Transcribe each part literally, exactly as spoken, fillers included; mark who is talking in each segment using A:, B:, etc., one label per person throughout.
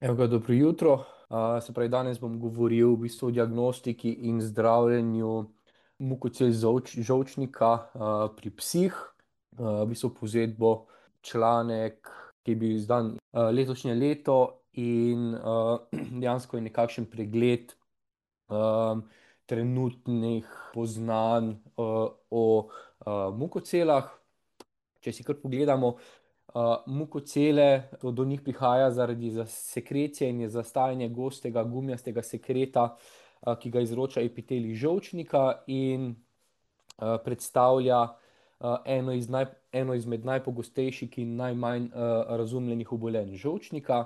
A: Evo ga, dobro jutro. A, se pravi, danes bom govoril v bistvu o diagnostiki in zdravljenju mukocel žolč, žolčnika a, pri psih. A, v bistvu povzet bo članek, ki je bil izdan a, letošnje leto in a, dejansko je nekakšen pregled a, trenutnih poznanj a, o a, mukocelah. Če si kar pogledamo, Uh, mukocele, to do njih prihaja zaradi sekrecije in je zastajanje gostega gumijastega sekreta, uh, ki ga izroča epitelij žolčnika in uh, predstavlja uh, eno, iz naj, eno izmed najpogostejših in najmanj uh, razumljenih obolenj žolčnika.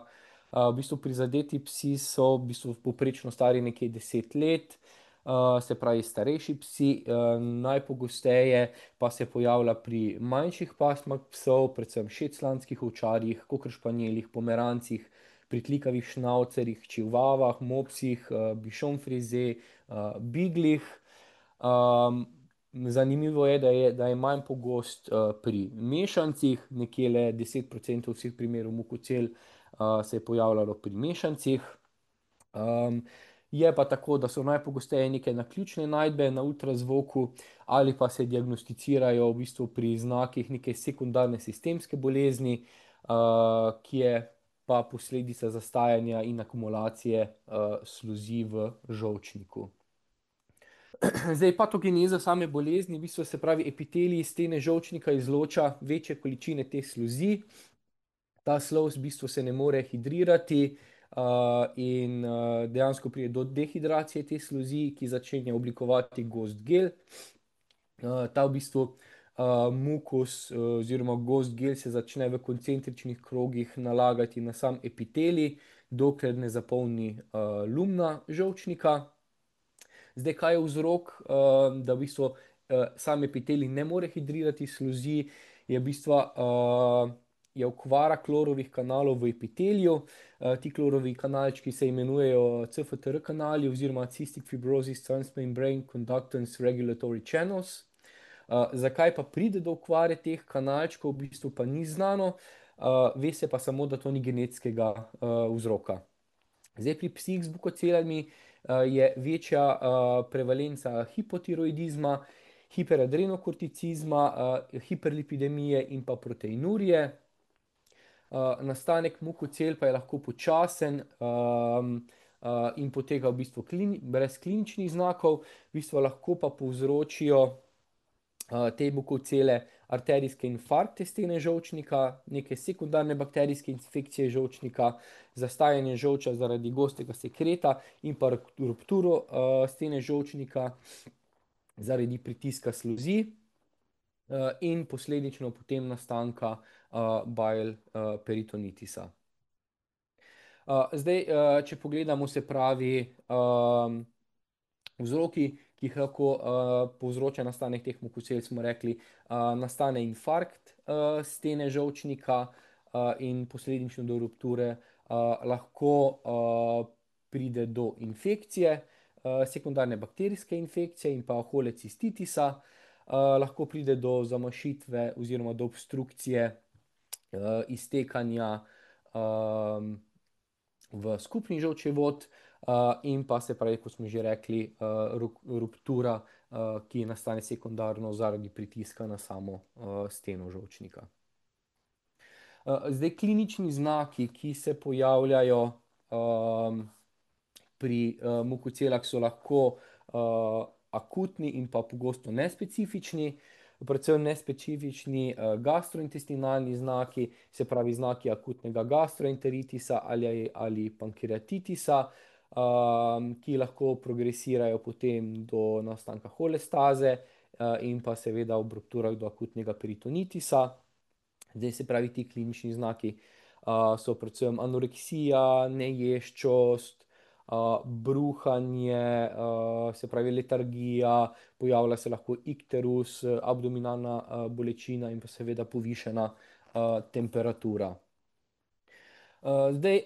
A: Uh, v bistvu prizadeti psi so v bistvu povprečno stari nekje deset let, uh, se pravi starejši psi, uh, najpogosteje pa se pojavlja pri manjših pasmah psov, predvsem šetlanskih ovčarjih, koker španjelih, pomerancih, pritlikavih šnaucerjih, čivavah, mopsih, uh, bišon frize, uh, biglih. Um, zanimivo je, da je, da je manj pogost uh, pri mešancih, nekje le deset procentov vseh primerov mukocel uh, se je pojavljalo pri mešancih. Um, je pa tako, da so najpogosteje neke naključne najdbe na ultrazvoku ali pa se diagnosticirajo v bistvu pri znakih neke sekundarne sistemske bolezni, uh, ki je pa posledica zastajanja in akumulacije uh, sluzi v žolčniku. Zdaj, patogeneza same bolezni, v bistvu se pravi, epitelij stene žolčnika izloča večje količine te sluzi. Ta sluz v bistvu se ne more hidrirati, uh, in uh, dejansko pride do dehidracije te sluzi, ki začenja oblikovati gost gel. Uh, ta v bistvu uh, mukus uh, oziroma gost gel se začne v koncentričnih krogih nalagati na sam epitelij, dokler ne zapolni uh, lumna žolčnika. Zdaj, kaj je vzrok, uh, da v bistvu uh, sam epitelij ne more hidrirati sluzi, je v bistvu uh, je okvara klorovih kanalov v epiteliju. Uh, ti klorovi kanalčki se imenujejo C F T R kanali oziroma Cystic Fibrosis Transmembrane Conductance Regulatory Channels. Uh, zakaj pa pride do okvare teh kanalčkov, v bistvu pa ni znano, uh, ve se pa samo, da to ni genetskega uh, vzroka. Zdaj, pri psih z bukocelami uh, je večja uh, prevalenca hipotiroidizma, hiperadrenokorticizma, uh, hiperlipidemije in pa proteinurije. Uh, nastanek mukocel pa je lahko počasen um, uh, in poteka v bistvu klini, brez kliničnih znakov, v bistvu lahko pa povzročijo uh, te mukocele arterijske infarkte stene žolčnika, neke sekundarne bakterijske infekcije žolčnika, zastajanje žolča zaradi gostega sekreta in pa rupturo uh, stene žolčnika zaradi pritiska sluzi uh, in posledično potem nastanka uh, bile uh, peritonitisa. Uh, zdaj, uh, če pogledamo, se pravi, um, vzroki, ki jih lahko uh, povzroča nastanek teh mukocel, smo rekli, uh, nastane infarkt uh, stene žolčnika uh, in posledično do rupture, uh, lahko uh, pride do infekcije, uh, sekundarne bakterijske infekcije in pa holecistitisa, uh, lahko pride do zamašitve oziroma do obstrukcije uh, iztekanja um, v skupni žolčevod, uh, in pa se pravi, kot smo že rekli, uh, ruptura, uh, ki nastane sekundarno zaradi pritiska na samo uh, steno žolčnika. Uh, zdaj, klinični znaki, ki se pojavljajo um, pri uh, mukocelah, so lahko uh, akutni in pa pogosto nespecifični. Predvsem nespecifični uh, gastrointestinalni znaki, se pravi znaki akutnega gastroenteritisa ali, ali pankreatitisa, um, ki lahko progresirajo potem do nastanka holestaze uh, in pa seveda ob rupturah do akutnega peritonitisa. Zdaj, se pravi, ti klinični znaki uh, so predvsem anoreksija, neješčost, uh, bruhanje, uh, se pravi letargija, pojavlja se lahko ikterus, abdominalna uh, bolečina in pa seveda povišena uh, temperatura. Uh, zdaj,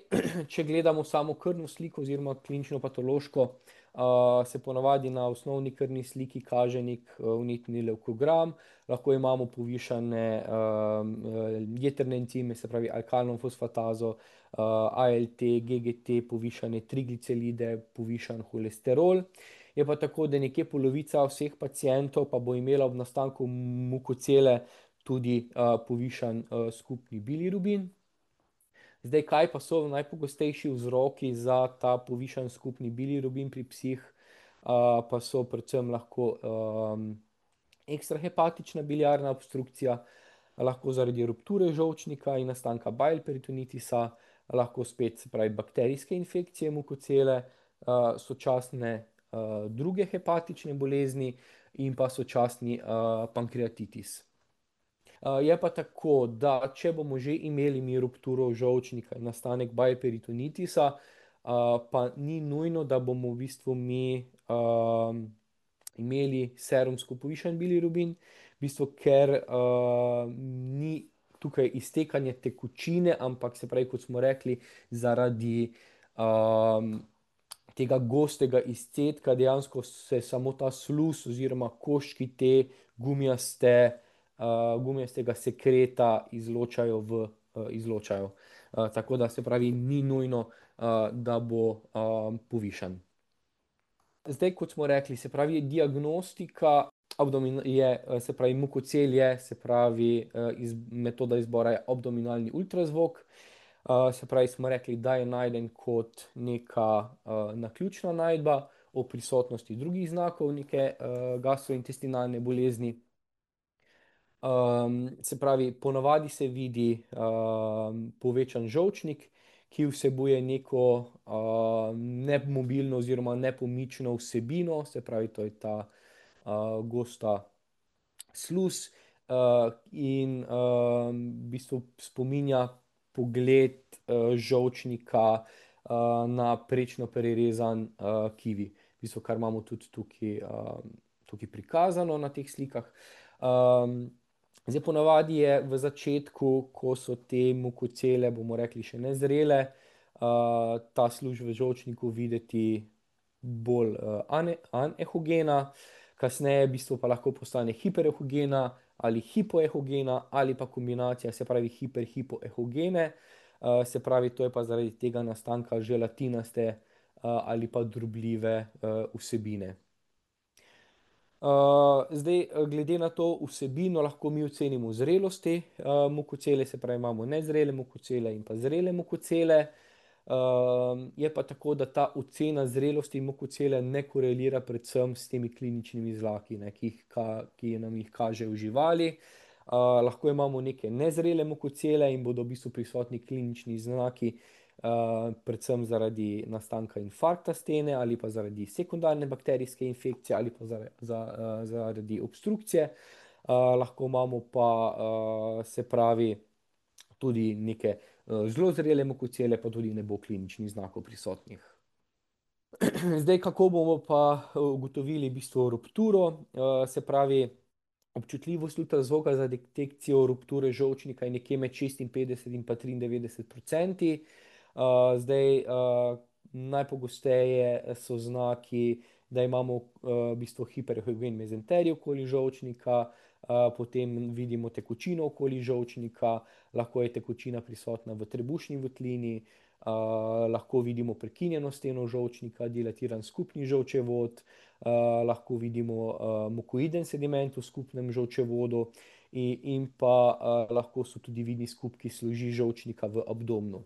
A: če gledamo samo krvno sliko oziroma klinično patološko, uh, se ponavadi na osnovni krvni sliki kaže nek uh, vnetni levkogram, lahko imamo povišane um, uh, jetrne encime, se pravi alkalno fosfatazo, uh, A L T, G G T, povišane trigliceride, povišan holesterol. Je pa tako, da nekje polovica vseh pacijentov pa bo imela ob nastanku mukocele tudi uh, povišan uh, skupni bilirubin. Zdaj, kaj pa so najpogostejši vzroki za ta povišan skupni bilirubin pri psih, uh, pa so predvsem lahko um, ekstrahepatična biliarna obstrukcija, lahko zaradi rupture žolčnika in nastanka bile peritonitisa, lahko spet, se pravi, bakterijske infekcije mukocele, uh, sočasne uh, druge hepatične bolezni in pa sočasni uh, pankreatitis. Uh, je pa tako, da če bomo že imeli mi rupturo žolčnika in nastanek bajperitonitisa, uh, pa ni nujno, da bomo v bistvu mi um, imeli serumsko povišen bilirubin, v bistvu, ker uh, ni tukaj iztekanje tekočine, ampak se pravi, kot smo rekli, zaradi um, tega gostega izcedka dejansko se samo ta sluz oziroma koščki te gumijaste uh, gumijastega sekreta izločajo v, uh, izločajo. Uh, tako da se pravi, ni nujno, uh, da bo um, povišan. Zdaj, kot smo rekli, se pravi, diagnostika abdomin je, se pravi, mukocel je, se pravi, iz, metoda izbora je abdominalni ultrazvok. Uh, se pravi, smo rekli, da je najden kot neka uh, naključna najdba o prisotnosti drugih znakov neke uh, gastrointestinalne bolezni. Um, se pravi, ponavadi se vidi um, povečan žolčnik, ki vsebuje neko uh, nemobilno oziroma nepomično vsebino, se pravi, to je ta uh, gosta sluz uh, in uh, v bistvu spominja pogled uh, žolčnika uh, na prečno prerezan uh, kivi, v bistvu, kar imamo tudi tukaj, uh, tukaj prikazano na teh slikah. Um, Zdaj, ponavadi je v začetku, ko so te mukocele, bomo rekli, še nezrele, uh, ta služ v žolčniku videti bolj uh, ane, anehogena, kasneje v bistvu pa lahko postane hiperehogena ali hipoehogena ali pa kombinacija, se pravi hiper-hipoehogene, uh, se pravi, to je pa zaradi tega nastanka želatinaste uh, ali pa drobljive uh, vsebine. Uh, zdaj, glede na to vsebino, lahko mi ocenimo zrelost te uh, mukocele, se pravi, imamo nezrele mukocele in pa zrele mukocele. Uh, je pa tako, da ta ocena zrelosti mukocele ne korelira predvsem s temi kliničnimi znaki, ne, ki, jih ka, ki nam jih kažejo živali. Uh, lahko imamo neke nezrele mukocele in bodo v bistvu prisotni klinični znaki, Uh, predvsem zaradi nastanka infarkta stene ali pa zaradi sekundarne bakterijske infekcije ali pa zaradi, za, uh, zaradi obstrukcije. Uh, lahko imamo pa, uh, se pravi, tudi neke uh, zelo zrele mukocele, pa tudi ne bo kliničnih znakov prisotnih. Zdaj, kako bomo pa ugotovili v bistvu rupturo, uh, se pravi, občutljivost ultrazvoka za detekcijo rupture žolčnika je nekje med šestinpetdeset in pa triindevetdeset procenti. Uh, zdaj, uh, najpogosteje so znaki, da imamo uh, v bistvu hiperehogen mezenterij okoli žolčnika, uh, potem vidimo tekočino okoli žolčnika, lahko je tekočina prisotna v trebušni votlini, uh, lahko vidimo prekinjeno steno žolčnika, dilatiran skupni žolčevod, uh, lahko vidimo uh, mukoiden sediment v skupnem žolčevodu in, in pa uh, lahko so tudi vidni skupki služi žolčnika v abdomnu.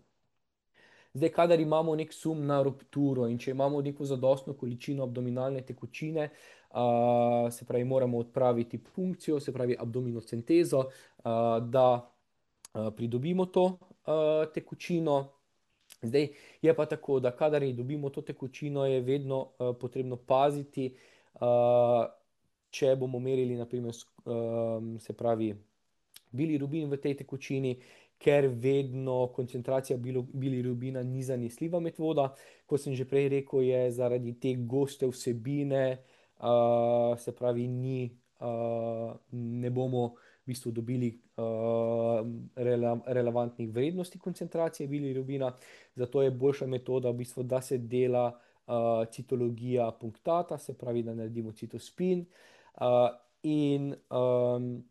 A: Zdaj, kadar imamo nek sum na rupturo in če imamo neko zadostno količino abdominalne tekočine, uh, se pravi, moramo odpraviti punkcijo, se pravi, abdominocentezo, uh, da uh, pridobimo to uh, tekočino. Zdaj, je pa tako, da kadar dobimo to tekočino, je vedno uh, potrebno paziti, uh, če bomo merili, naprimer, uh, se pravi, bilirubin v tej tekočini, ker vedno koncentracija bilirubina ni zanesljiva metoda. Kot sem že prej rekel, je zaradi te goste vsebine, uh, se pravi, ni, uh, ne bomo v bistvu dobili uh, rele relevantnih vrednosti koncentracije bilirubina. Zato je boljša metoda, v bistvu, da se dela uh, citologija punktata, se pravi, da naredimo citospin. Uh, in um,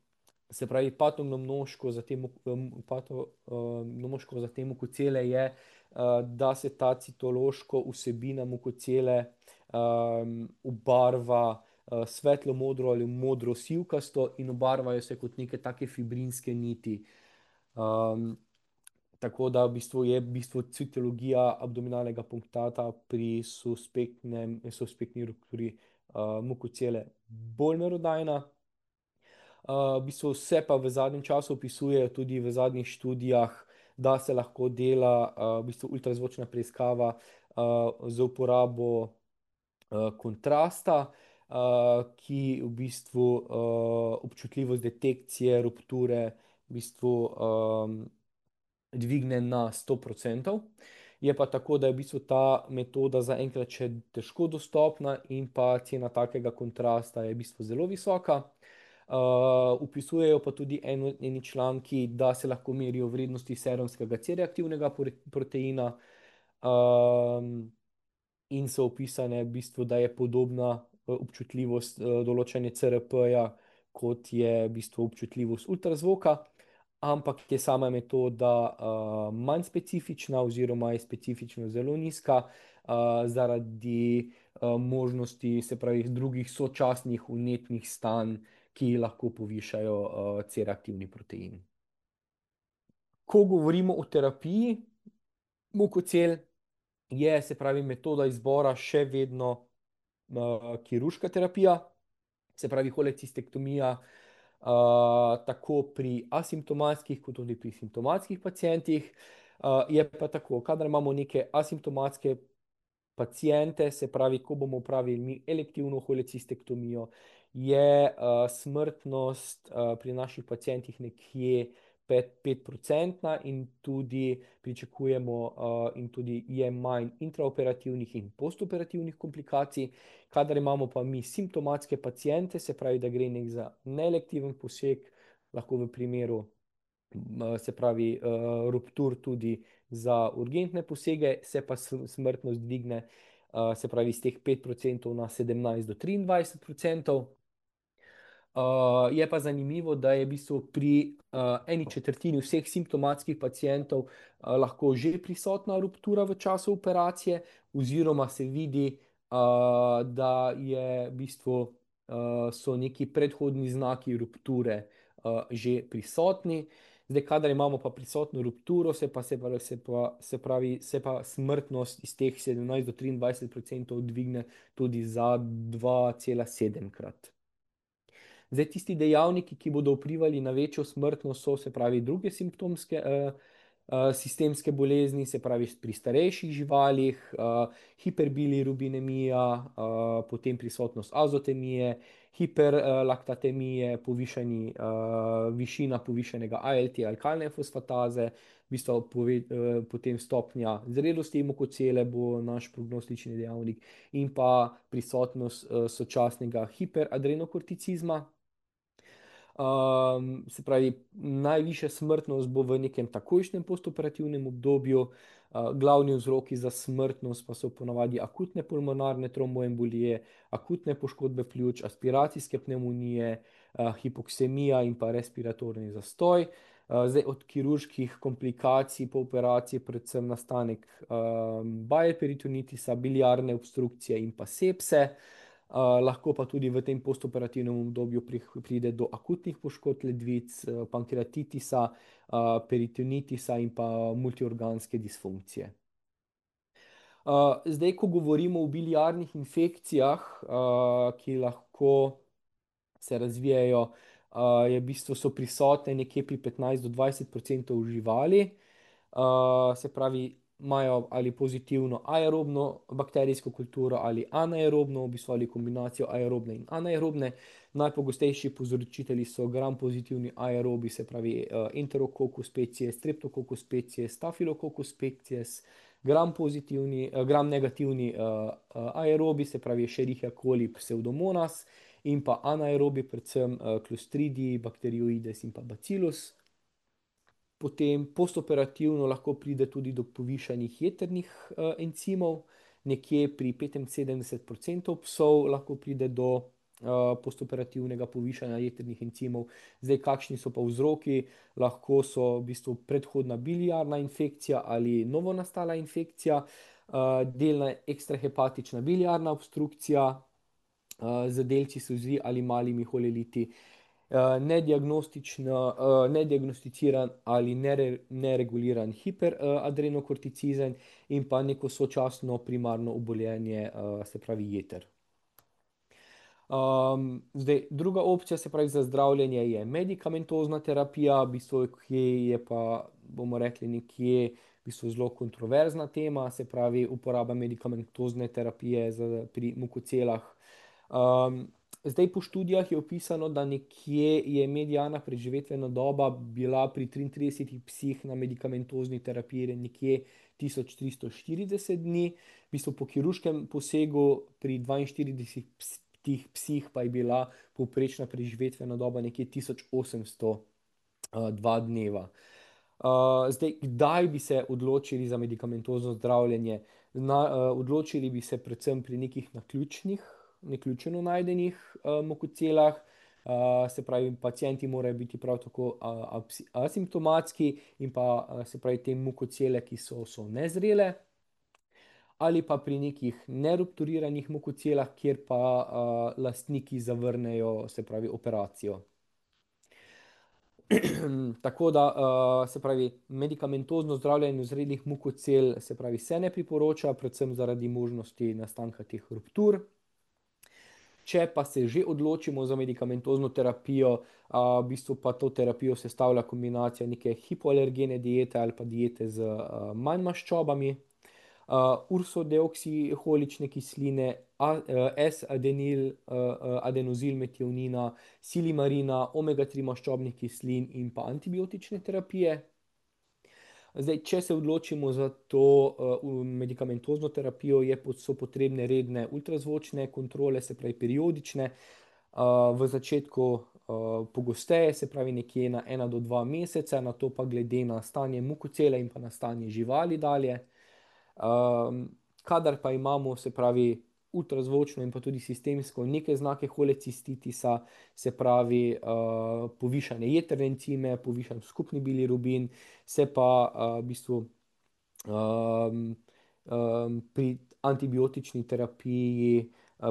A: se pravi, patognomnoško za te, um, patognomnoško za te mukocele je, uh, da se ta citološko vsebina mukocele um, obarva uh, svetlo modro ali modro sivkasto in obarvajo se kot neke take fibrinske niti. Um, tako da v bistvu je v bistvu citologija abdominalnega punktata pri suspektnem, suspektni rupturi uh, mukocele bolj merodajna. Uh, v bistvu se pa v zadnjem času opisuje tudi v zadnjih študijah, da se lahko dela uh, v bistvu ultrazvočna preiskava uh, z uporabo uh, kontrasta, uh, ki v bistvu uh, občutljivost detekcije rupture v bistvu um, dvigne na sto procentov. Je pa tako, da je v bistvu ta metoda zaenkrat še težko dostopna in pa cena takega kontrasta je v bistvu zelo visoka. Uh, upisujejo pa tudi eno, eni članki, da se lahko merijo vrednosti serumskega C-reaktivnega proteina, um, in so opisane v bistvu, da je podobna uh, občutljivost uh, določanja C R P-ja, kot je v bistvu občutljivost ultrazvoka, ampak je sama metoda uh, manj specifična oziroma je specifično zelo nizka uh, zaradi uh, možnosti, se pravi, drugih sočasnih vnetnih stanj, ki lahko povišajo uh, C-reaktivni protein. Ko govorimo o terapiji mukocel, je, se pravi, metoda izbora še vedno uh, kirurška terapija, se pravi holecistektomija, uh, tako pri asimptomatskih, kot tudi pri simptomatskih pacientih. Uh, je pa tako, kadar imamo neke asimptomatske paciente, se pravi, ko bomo pravili mi elektivno holecistektomijo, je uh, smrtnost uh, pri naših pacientih nekje pet procentna in tudi pričakujemo uh, in tudi je manj intraoperativnih in postoperativnih komplikacij. Kadar imamo pa mi simptomatske paciente, se pravi, da gre nek za neelektiven poseg, lahko v primeru, se pravi, uh, ruptur tudi za urgentne posege, se pa smrtnost dvigne, uh, se pravi, iz teh pet procentov na sedemnajst do triindvajset procentov. Uh, je pa zanimivo, da je v bistvu pri uh, eni četrtini vseh simptomatskih pacientov uh, lahko že prisotna ruptura v času operacije, oziroma se vidi, uh, da je v bistvu, uh, so neki predhodni znaki rupture uh, že prisotni. Zdaj, kadar imamo pa prisotno rupturo, se pa, se pa, se pa, se pravi, se pa smrtnost iz teh sedemnajst do triindvajset procentov dvigne tudi za dva cela sedem krat. Zdaj, tisti dejavniki, ki bodo vplivali na večjo smrtnost, so, se pravi, druge simptomske, uh, uh, sistemske bolezni, se pravi, pri starejših živalih, uh, hiperbilirubinemija, uh, potem prisotnost azotemije, hiperlaktatemije, povišani, uh, višina povišenega A L T, alkalne fosfataze, v bistvu pove, uh, potem stopnja zrelosti mukocele bo naš prognostični dejavnik in pa prisotnost uh, sočasnega hiperadrenokorticizma. Um, se pravi, najvišja smrtnost bo v nekem takojšnjem postoperativnem obdobju. Uh, glavni vzroki za smrtnost pa so ponavadi akutne pulmonarne tromboembolije, akutne poškodbe pljuč, aspiracijske pnevmonije, uh, hipoksemija in pa respiratorni zastoj. Uh, zdaj, od kirurških komplikacij po operaciji predvsem nastanek um, bile-peritonitisa, biliarne obstrukcije in pa sepse. Uh, lahko pa tudi v tem postoperativnem obdobju pride do akutnih poškodb ledvic, pankreatitisa, uh, peritonitisa in pa multiorganske disfunkcije. Uh, zdaj, ko govorimo o biliarnih infekcijah, uh, ki lahko se razvijajo, uh, je v bistvu so prisotne nekje pri petnajst do dvajset procentov živali, uh, se pravi, imajo ali pozitivno aerobno bakterijsko kulturo ali anaerobno, v bistvu ali kombinacijo aerobne in anaerobne. Najpogostejši povzročitelji so gram pozitivni aerobi, se pravi uh, Enterococcus species, Streptococcus species, Staphylococcus species, gram pozitivni, uh, gram negativni uh, uh, aerobi, se pravi Escherichia coli, Pseudomonas, in pa anaerobi, predvsem Clostridium, Bacteroides in pa Bacillus. Potem postoperativno lahko pride tudi do povišanih jetrnih uh, encimov, nekje pri petinsedemdeset procentov psov lahko pride do uh, postoperativnega povišanja jetrnih encimov. Zdaj, kakšni so pa vzroki? Lahko so v bistvu predhodna biliarna infekcija ali novonastala infekcija, uh, delna ekstrahepatična biliarna obstrukcija uh, z delci solzi ali malimi holeliti. Nediagnosticiran ali nere, nereguliran hiperadrenokorticizem in pa neko sočasno primarno obolenje, se pravi jeter. Um, zdaj, druga opcija, se pravi za zdravljenje, je medikamentozna terapija, v bistvu, ki je pa, bomo rekli, nekje v bistvu zelo kontroverzna tema, se pravi uporaba medikamentozne terapije za, pri mukocelah. Um, Zdaj, po študijah je opisano, da nekje je mediana preživetvena doba bila pri triintridesetih psih na medikamentozni terapiji nekje tisoč tristo štirideset dni, v bistvu po kirurškem posegu pri dvainštiridesetih psih pa je bila povprečna preživetvena doba nekje tisoč osemsto dva dneva. Uh, zdaj, kdaj bi se odločili za medikamentozno zdravljenje? Na, uh, odločili bi se predvsem pri nekih naključnih, naključeno najdenih uh, mukocelah, uh, se pravi, pacienti morajo biti prav tako uh, asimptomatski in pa uh, se pravi, te mukocele, ki so, so nezrele, ali pa pri nekih nerupturiranih mukocelah, kjer pa uh, lastniki zavrnejo, se pravi, operacijo. Tako da, uh, se pravi, medikamentozno zdravljenje zrelih mukocel, se pravi, se ne priporoča, predvsem zaradi možnosti nastanka teh ruptur. Če pa se že odločimo za medikamentozno terapijo, uh, v bistvu pa to terapijo sestavlja kombinacija neke hipoalergene diete ali pa diete z uh, manj maščobami, uh, ursodeoksiholične kisline, S-adenil, uh, adenozilmetionina, silimarina, omega tri maščobnih kislin in pa antibiotične terapije. Zdaj, če se odločimo za to uh, medikamentozno terapijo, je, so potrebne redne ultrazvočne kontrole, se pravi periodične, uh, v začetku uh, pogosteje, se pravi nekje na ena do dva meseca, na to pa glede na stanje mukocele in pa na stanje živali dalje. Um, kadar pa imamo, se pravi, ultrazvočno in pa tudi sistemsko neke znake holecistitisa, se pravi uh, povišane jetrne encime, povišan skupni bilirubin, se pa uh, v bistvu um, um, pri antibiotični terapiji uh,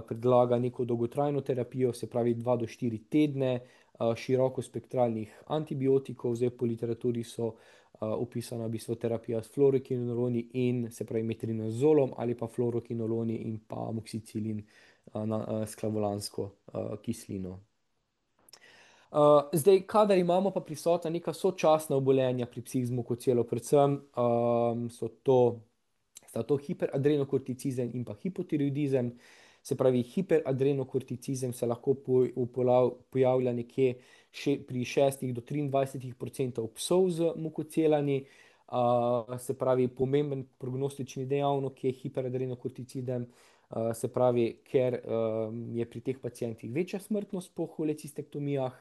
A: predlaga neko dolgotrajno terapijo, se pravi dva do štiri tedne uh, širokospektralnih antibiotikov. Zdaj, po literaturi so Uh, opisana v bistvu terapija s fluorokinoloni in se pravi metrinazolom ali pa fluorokinoloni in pa amoksicilin uh, na uh, sklavolansko uh, kislino. Uh, zdaj, kadar imamo pa prisotna neka sočasna obolenja pri psih z mukocelo, predvsem um, so to, sta to hiperadrenokorticizem in pa hipotiroidizem. Se pravi, hiperadrenokorticizem se lahko pojavlja nekje še pri šestih do triindvajsetih procentov psov z mukocelami. Uh, se pravi, pomemben prognostični dejavnik je hiperadrenokorticizem, uh, se pravi, ker um, je pri teh pacientih večja smrtnost po holecistektomijah.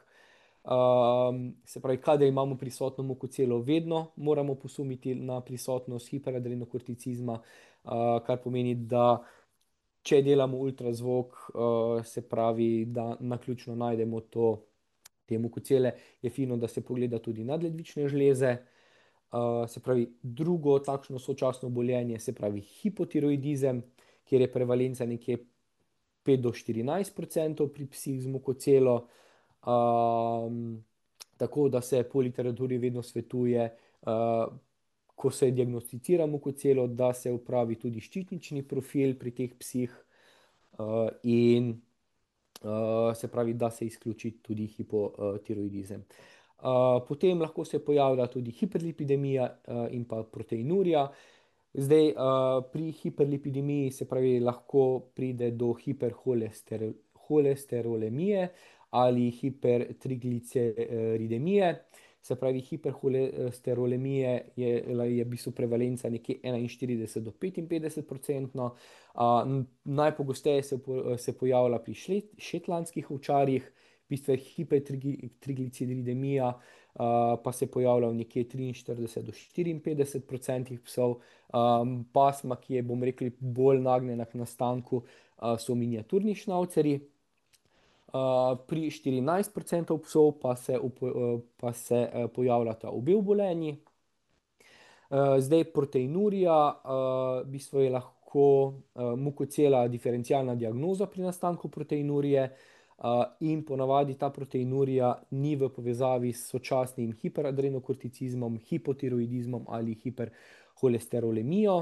A: Um, se pravi, kadar imamo prisotno mukocelo, vedno moramo posumiti na prisotnost hiperadrenokorticizma, uh, kar pomeni, da če delamo ultrazvok, uh, se pravi, da naključno najdemo to, te mukocele, je fino, da se pogleda tudi nadledvične žleze. Uh, se pravi, drugo takšno sočasno obolenje, se pravi hipotiroidizem, kjer je prevalenca nekje pet do štirinajst procentov pri psih z mukocelo. Um, tako da se po literaturi vedno svetuje, uh, ko se diagnosticira mukocelo, da se upravi tudi ščitnični profil pri teh psih uh, in uh, se pravi, da se izključi tudi hipotiroidizem. Uh, potem lahko se pojavlja tudi hiperlipidemija uh, in pa proteinurija. Zdaj, uh, pri hiperlipidemiji se pravi, lahko pride do hiperholesterolemije ali hipertrigliceridemije. se pravi hiperholesterolemije, je, je v bistvu prevalenca nekje enainštirideset do petinpetdeset odstotkov. Najpogosteje se, po, se pojavlja pri šlet, šetlandskih ovčarjih, v bistvu hipertrigliceridemija, uh, pa se pojavlja v nekje triinštirideset do štiriinpetdeset odstotkov psov. Um, pasma, ki je, bom rekel, bolj nagnjena k nastanku, uh, so miniaturni šnavcerji. Uh, pri štirinajst odstotkov psov pa se, upo, uh, pa se uh, pojavljata obe obolenji. Uh, zdaj, proteinurija, uh, v bistvu je lahko uh, mukocela diferencialna diagnoza pri nastanku proteinurije, uh, in ponavadi ta proteinurija ni v povezavi s sočasnim hiperadrenokorticizmom, hipotiroidizmom ali hiperholesterolemijo.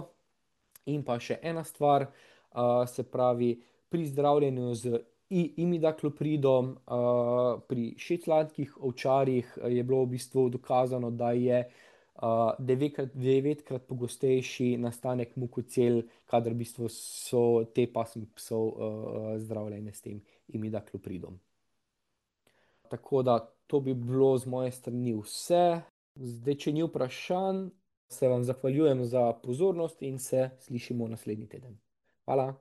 A: In pa še ena stvar, uh, se pravi, pri zdravljenju z imidaklopridom, uh, pri šetlandskih ovčarjih je bilo v bistvu dokazano, da je uh, devetkrat, devetkrat pogostejši nastanek mukocel, kadar v bistvu so te pasme psov uh, zdravljene s tem imidaklopridom. Tako da to bi bilo z moje strani vse. Zdaj, če ni vprašanj, se vam zahvaljujem za pozornost in se slišimo naslednji teden. Hvala.